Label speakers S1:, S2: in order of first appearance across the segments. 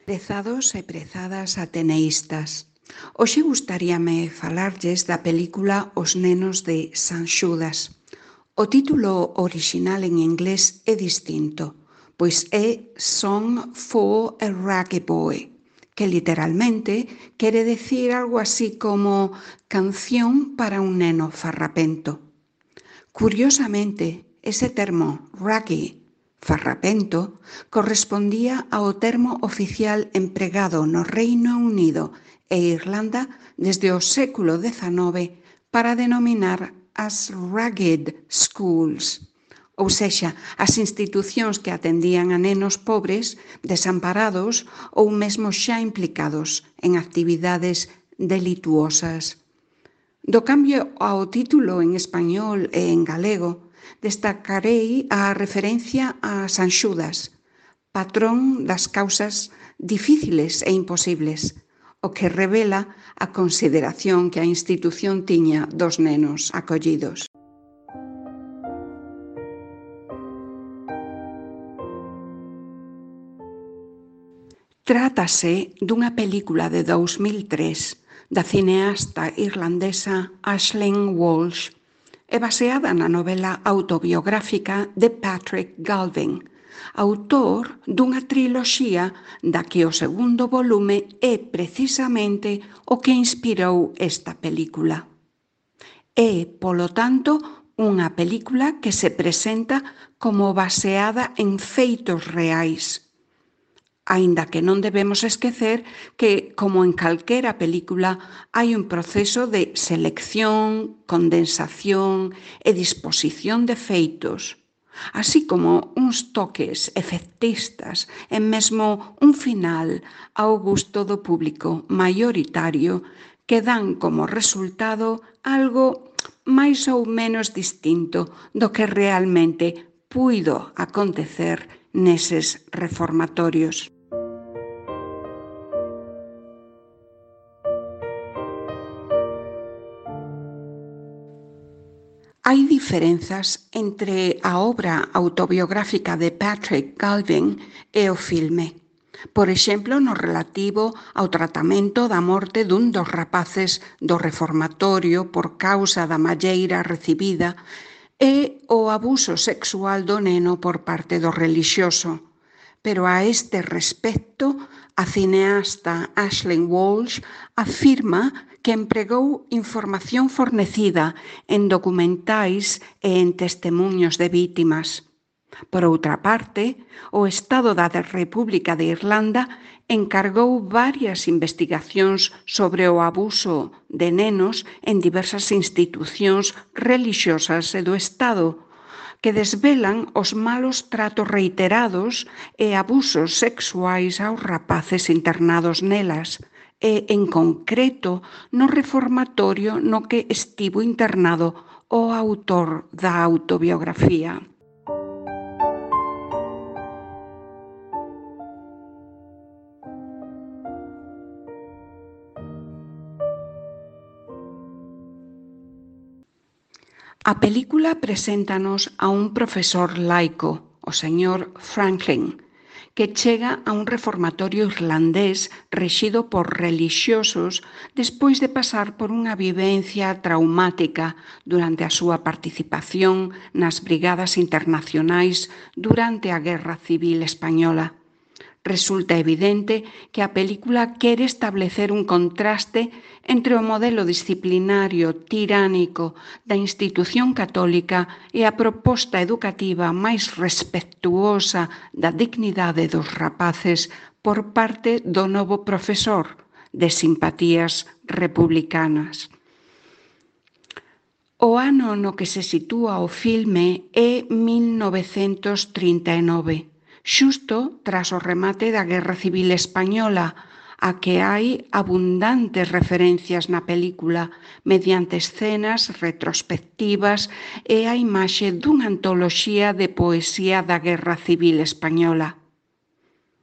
S1: Prezados e prezadas ateneístas, hoxe gustaríame falarlles da película Os nenos de San Xudas. O título orixinal en inglés é distinto, pois é Song for a Raggy Boy, que literalmente quere decir algo así como canción para un neno farrapento. Curiosamente, ese termo raggy, farrapento, correspondía ao termo oficial empregado no Reino Unido e Irlanda desde o século XIX para denominar as Ragged Schools, ou sexa, as institucións que atendían a nenos pobres, desamparados ou mesmo xa implicados en actividades delituosas. Do cambio ao título en español e en galego, destacarei a referencia a San Xudas, patrón das causas difíciles e imposibles, o que revela a consideración que a institución tiña dos nenos acollidos. Trátase dunha película de 2003 da cineasta irlandesa Aisling Walsh e baseada na novela autobiográfica de Patrick Galvin, autor dunha triloxía da que o segundo volume é precisamente o que inspirou esta película. É, polo tanto, unha película que se presenta como baseada en feitos reais, aínda que non debemos esquecer que, como en calquera película, hai un proceso de selección, condensación e disposición de feitos, así como uns toques efectistas e mesmo un final ao gusto do público maioritario que dan como resultado algo máis ou menos distinto do que realmente puido acontecer neses reformatorios. Hai diferenzas entre a obra autobiográfica de Patrick Galvin e o filme. Por exemplo, no relativo ao tratamento da morte dun dos rapaces do reformatorio por causa da malleira recibida e o abuso sexual do neno por parte do relixioso. Pero a este respecto, a cineasta Aisling Walsh afirma que empregou información fornecida en documentais e en testemuños de vítimas. Por outra parte, o Estado da República de Irlanda encargou varias investigacións sobre o abuso de nenos en diversas institucións relixiosas e do Estado, que desvelan os malos tratos reiterados e abusos sexuais aos rapaces internados nelas, e, en concreto, no reformatorio no que estivo internado o autor da autobiografía. A película preséntanos a un profesor laico, o señor Franklin, que chega a un reformatorio irlandés rexido por relixiosos despois de pasar por unha vivencia traumática durante a súa participación nas brigadas internacionais durante a Guerra Civil Española. Resulta evidente que a película quere establecer un contraste entre o modelo disciplinario tiránico da institución católica e a proposta educativa máis respectuosa da dignidade dos rapaces por parte do novo profesor de simpatías republicanas. O ano no que se sitúa o filme é 1939. Xusto tras o remate da Guerra Civil Española, a que hai abundantes referencias na película mediante escenas retrospectivas e a imaxe dunha antoloxía de poesía da Guerra Civil Española.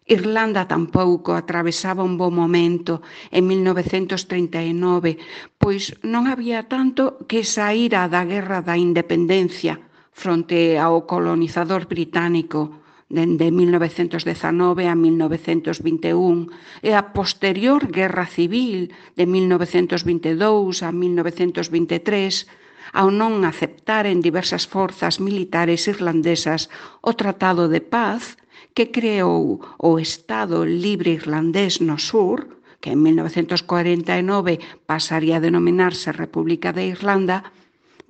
S1: Irlanda tampouco atravesaba un bo momento en 1939, pois non había tanto que saíra da Guerra da Independencia fronte ao colonizador británico dende 1919 a 1921 e a posterior Guerra Civil de 1922 a 1923, ao non aceptaren diversas forzas militares irlandesas o Tratado de Paz que creou o Estado Libre Irlandés no sur, que en 1949 pasaría a denominarse República de Irlanda,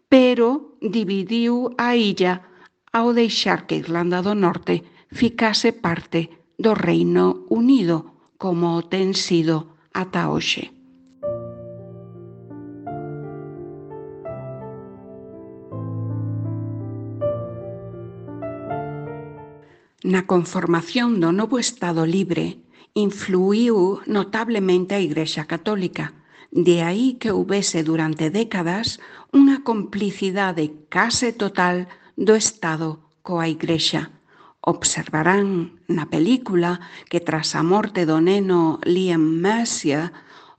S1: pero dividiu a illa ao deixar que Irlanda do Norte ficase parte do Reino Unido, como ten sido ata hoxe. Na conformación do novo Estado libre, influíu notablemente a Igrexa Católica. De aí que houbese durante décadas unha complicidade case total do Estado coa Igrexa. Observarán na película que tras a morte do neno Liam Mercier,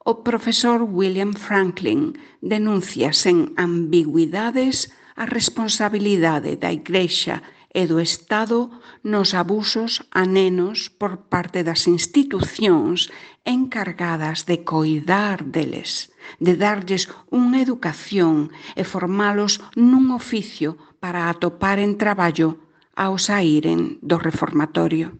S1: o profesor William Franklin denuncia sen ambigüidades a responsabilidade da Igrexa e do Estado nos abusos a nenos por parte das institucións encargadas de coidar deles, de darlles unha educación e formalos nun oficio para atoparen traballo ao saíren do reformatorio.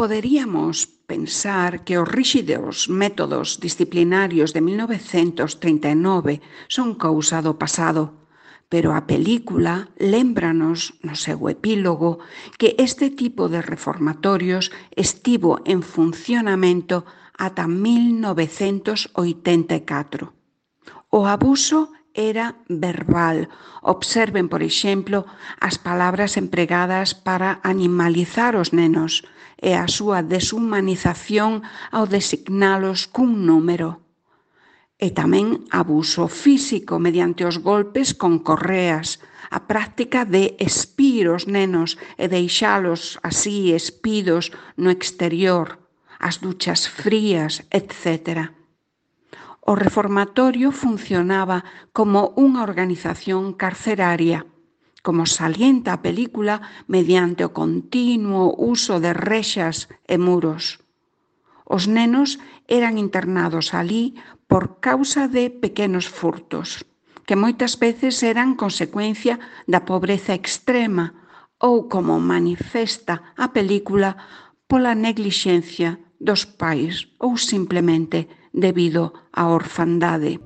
S1: Poderíamos pensar que os ríxidos métodos disciplinarios de 1939 son cousa do pasado, pero a película lémbranos no seu epílogo que este tipo de reformatorios estivo en funcionamento ata 1984. O abuso era verbal. Observen, por exemplo, as palabras empregadas para animalizar os nenos e a súa deshumanización ao designalos cun número. E tamén abuso físico mediante os golpes con correas, a práctica de espir os nenos e deixalos así espidos no exterior, as duchas frías, etc. O reformatorio funcionaba como unha organización carceraria, como salienta a película mediante o continuo uso de rexas e muros. Os nenos eran internados alí por causa de pequenos furtos, que moitas veces eran consecuencia da pobreza extrema ou, como manifesta a película, pola neglixencia dos pais ou simplemente debido á orfandade.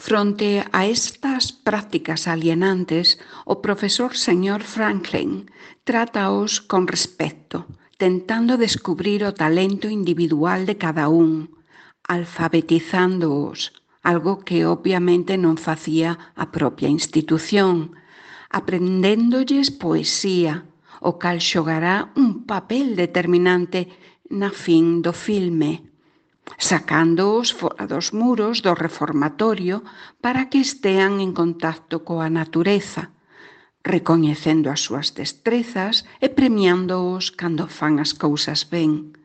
S1: Fronte a estas prácticas alienantes, o profesor señor Franklin trátaos con respecto, tentando descubrir o talento individual de cada un, alfabetizándoos, algo que obviamente non facía a propia institución, aprendéndolles poesía, o cal xogará un papel determinante na fin do filme, sacándoos fora dos muros do reformatorio para que estean en contacto coa natureza, recoñecendo as súas destrezas e premiándoos cando fan as cousas ben.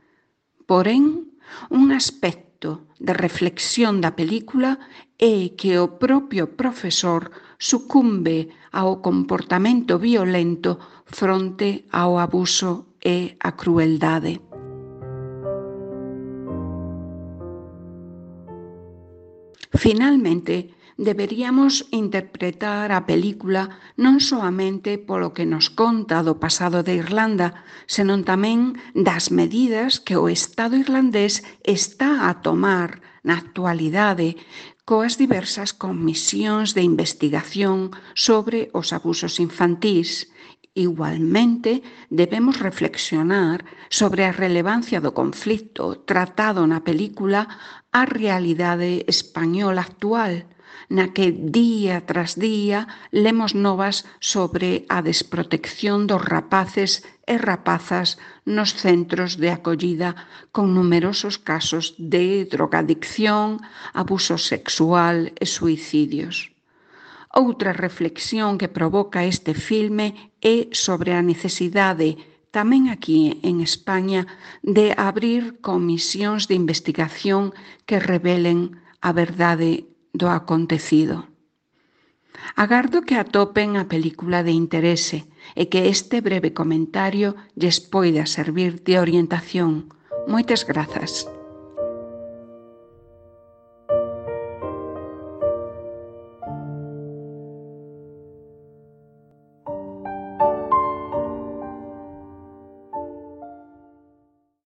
S1: Porén, un aspecto de reflexión da película é que o propio profesor sucumbe ao comportamento violento fronte ao abuso e a crueldade. Finalmente, deberíamos interpretar a película non soamente polo que nos conta do pasado de Irlanda, senón tamén das medidas que o Estado irlandés está a tomar na actualidade coas diversas comisións de investigación sobre os abusos infantís. Igualmente, debemos reflexionar sobre a relevancia do conflito tratado na película á realidade española actual, na que día tras día lemos novas sobre a desprotección dos rapaces e rapazas nos centros de acollida con numerosos casos de drogadicción, abuso sexual e suicidios. Outra reflexión que provoca este filme é sobre a necesidade, tamén aquí en España, de abrir comisións de investigación que revelen a verdade do acontecido. Agardo que atopen a película de interese e que este breve comentario lles poida servir de orientación. Moitas grazas.